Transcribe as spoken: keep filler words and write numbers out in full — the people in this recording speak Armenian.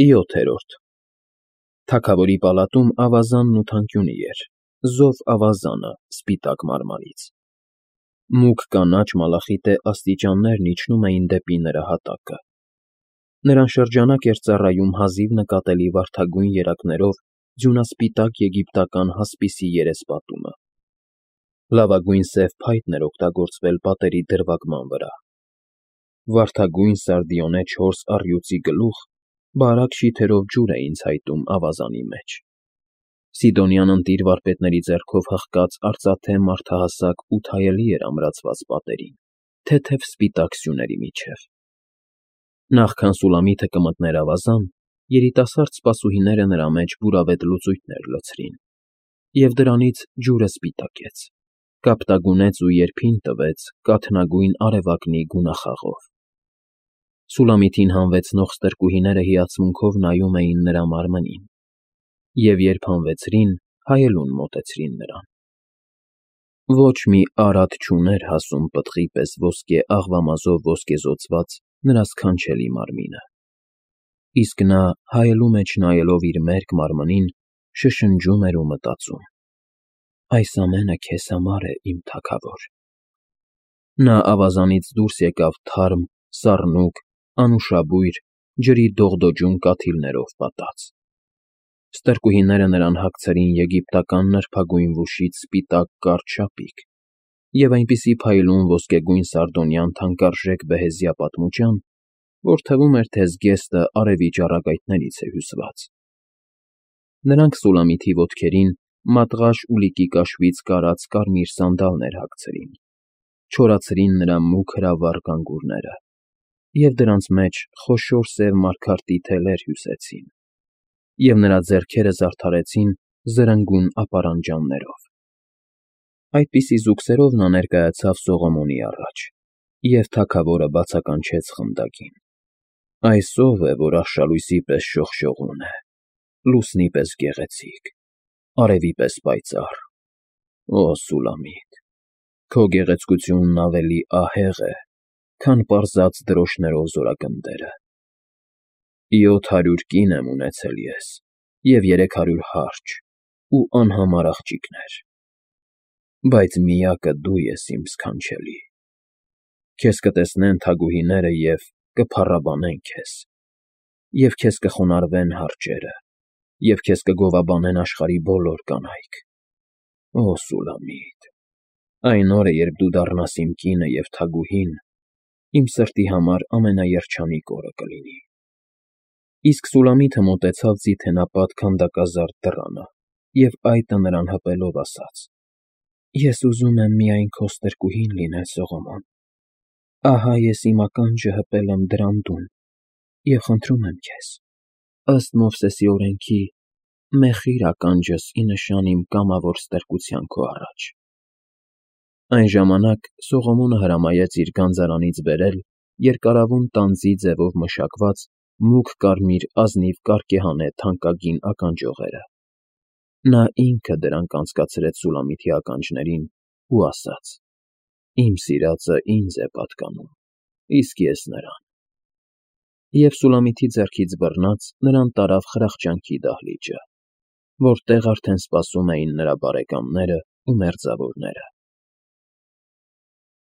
ՅՈԹԵՐՈՐԴ Թագավորի պալատում ավազանն ու թանկյունի էր, զով ավազանը, սպիտակ մարմարից. մուգ կանաչ մալախիտե աստիճաններն իջնում էին դեպի նրա հատակը. նրան շրջանակ էր ծառայում հազիվ նկատելի վարդագույն երակներով ձյունասպիտակ եգիպտական հասպիսի երեսպատումը. լավագույն սև փայտն էր օգտագործվել պատերի դրվագման վրա. վարդագույն սարդիոնե չորս առյուծի գլուխ բարակ շիթերով ջուր էին ցայտում ավազանի մեջ. Սիդոնյան ընտիր վարպետների ձեռքով հղկած արծաթե մարդահասակ ութայելի էր ամրացված պատերին, թեթև սպիտակ սյուների միջև. Նախքան Սուլամիթը կմտներ ավազան, երիտասարդ սպասուհիները նրա մեջ բուրավետ լուծույթներ լցրին, և դրանից ջուրը սպիտակեց, կապտագունեց ու երբին տվեց կաթնագույն արևակնի գունախաղով. Սուլամիթին հանվեցնող ստրկուհիները հիացմունքով նայում էին նրա մարմնին, և երբ հանվեցրին, հայելուն մոտեցրին նրան. ոչ մի արատ չուներ հասուն պտղի պես ոսկե աղվամազով ոսկեզօծված նրա սքանչելի մարմինը, իսկ նա հայելու մեջ նայելով իր մերկ մարմնին, շշնջում էր ու մտածում. «Այս ամենը քեզ համար է, իմ թագավոր»: Նա ավազանից դուրս եկավ թարմ, սառնուկ, անուշաբույր, ջրի դողդոջուն կաթիլներով պատած: Ստրկուհիները նրան հագցրին եգիպտական նրբագույն վուշից սպիտակ կարճ շապիկ և այնպիսի փայլուն ոսկեգույն սարդոնյան թանկարժեք բեհեզյա պատմուկյան, որ թվում էր, թե զգեստը արևի ճառագայթներից է հյուսված: Նրանք Սուլամիթի ոտքերին մատղաշ ուլիկի կաշվից կարած կարմիր սանդալներ հագցրին, չորացրին նրա մուգ հրավառ գանգուրները և դրանց մեջ խոշոր սև մարգարտի թելեր հյուսեցին, և նրա ձեռքերը զարդարեցին զրնգուն ապարանջաններով: Այդպիսի զուգսերով նա ներկայացավ Սողոմոնի առաջ, և թագավորը բացականչեց խնդակին. «Այս ո՞վ է, որ արշալույսի պես շողշողուն է, լուսնի պես գեղեցիկ, արևի պես պայծառ: Օ Սուլամիթ, քո գեղեցկությունն ավելի ահեղ է, քան պարզած դրոշներով զորագնդերը: Յոթ հարյուր կին եմ ունեցել ես և երեք հարյուր հարճ ու անհամար աղջիկներ, բայց միակը դու ես, իմ սքանչելի: Քեզ կտեսնեն թագուհիները և կփառաբանեն քեզ, և քեզ կխոնարհվեն հարճերը, և քեզ կգովաբանեն աշխարհի բոլոր կանայք: Օ Սուլամիթ, այն օրը, երբ դու դառնաս իմ կինը և թագուհին, իմ սրտի համար ամենաերջանիկ օրը կլինի»: Իսկ Սուլամիթը մոտեցավ ձիթենապատ քանդակազարդ դռանը և այտը նրան հպելով ասաց. «Ես ուզում եմ միայն քո ստրկուհին լինել, Սողոմոն: Ահա ես իմ ականջը հպել եմ դրանդուն և խնդրում եմ քեզ, ըստ Մովսեսի օրենքի, մեխիր ականջս ի նշան իմ կամավոր ստրկության քո առաջ»: Այն ժամանակ Սողոմոնը հրամայեց իր գանձարանից բերել երկարավուն տանձի ձևով մշակված մուգ կարմիր ազնիվ կարկեհանե թանկագին ականջողերը: Նա ինքը դրանք անցկացրեց Սուլամիթի ականջներին ու ասաց. «Իմ սիրածը ինձ է պատկանում, իսկ ես նրան»: Եվ Սուլամիթի ձեռքից բռնած նրան տարավ խրախճանքի դահլիճը, որտեղ արդեն սպասում էին նրա բարեկամներն ու մերձավորները: